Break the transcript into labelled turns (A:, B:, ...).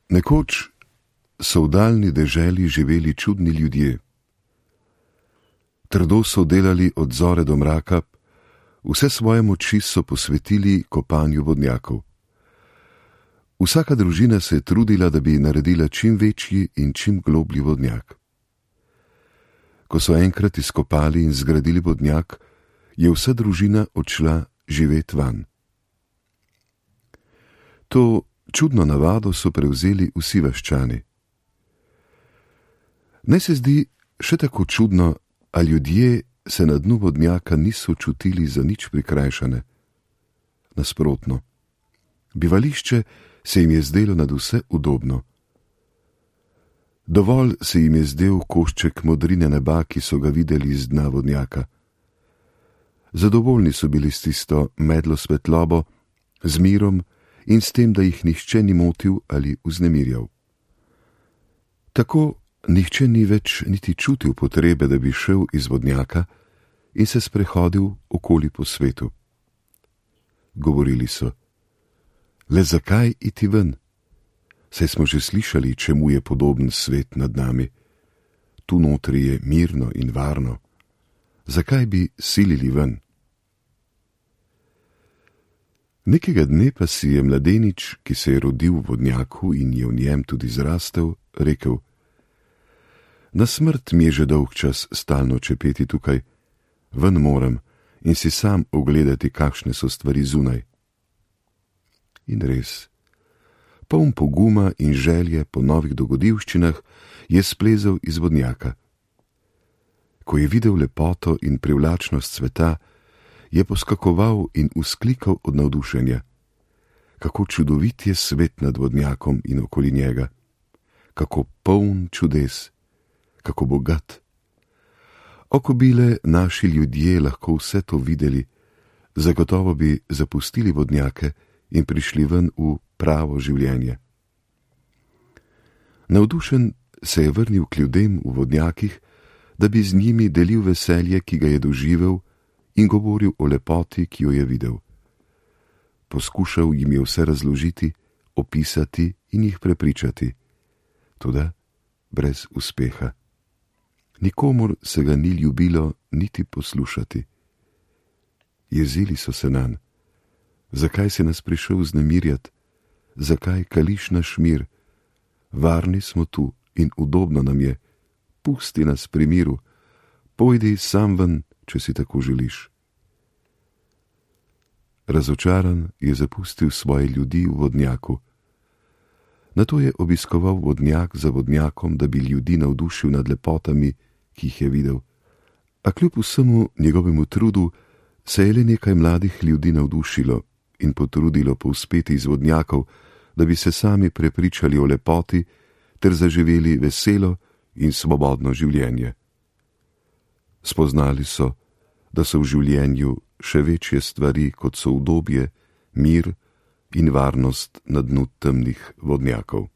A: Nekoč so v daljni deželi živeli čudni ljudje. Trdo so delali od zore do mraka, vse svoje moči so posvetili kopanju vodnjakov. Vsaka družina se je trudila, da bi naredila čim večji in čim globlji vodnjak. Ko so enkrat izkopali in zgradili vodnjak, je vsa družina odšla živet van. To čudno navado so prevzeli vsi vaščani. Ne se zdi še tako čudno, a ljudje se na dnu vodnjaka niso čutili za nič prikrajšane. Nasprotno, bivališče se jim je zdelo nadvse udobno. Dovolj se jim je zdel košček modrine neba, ki so ga videli iz dna vodnjaka. Zadovoljni so bili s tisto medlo svetlobo, z mirom in s tem, da jih nihče ni motil ali vznemirjal. Tako nihče ni več niti čutil potrebe, da bi šel iz vodnjaka in se sprehodil okoli po svetu. Govorili so: le zakaj iti ven? Saj smo že slišali, čemu je podoben svet nad nami. Tu notri je mirno in varno. Zakaj bi silili ven? Nekega dne pa si je mladenič, ki se je rodil v vodnjaku in je v njem tudi zrastel, rekel: na smrt mi je že dolg čas stalno čepeti tukaj, ven moram in si sam ogledati, kakšne so stvari zunaj. In res, poln poguma in želje po novih dogodivščinah, je splezel iz vodnjaka. Ko je videl lepoto in privlačnost sveta, je poskakoval in vzklikal od navdušenja. Kako čudovit je svet nad vodnjakom in okoli njega, kako poln čudes, kako bogat. Ko bi le naši ljudje lahko vse to videli, zagotovo bi zapustili vodnjake in prišli ven v pravo življenje. Navdušen se je vrnil k ljudem v vodnjakih, da bi z njimi delil veselje, ki ga je doživel, in govoril o lepoti, ki jo je videl. Poskušal jim je vse razložiti, opisati in jih prepričati, toda brez uspeha. Nikomur se ga ni ljubilo niti poslušati. Jezili so se nanj. Zakaj si nas prišel vznemirjati? Zakaj kališ naš mir? Varni smo tu in udobno nam je. Pusti nas pri miru. Pojdi sam ven, če si tako želiš. Razočaran je zapustil svoje ljudi v vodnjaku. Nato je obiskoval vodnjak za vodnjakom, da bi ljudi navdušil nad lepotami, ki jih je videl. A kljub vsemu njegovemu trudu se je le nekaj mladih ljudi navdušilo in potrudilo povzpeti iz vodnjakov, da bi se sami prepričali o lepoti ter zaživeli veselo in svobodno življenje. Spoznali so, da so v življenju še večje stvari, kot so udobje, mir in varnost na dnu temnih vodnjakov.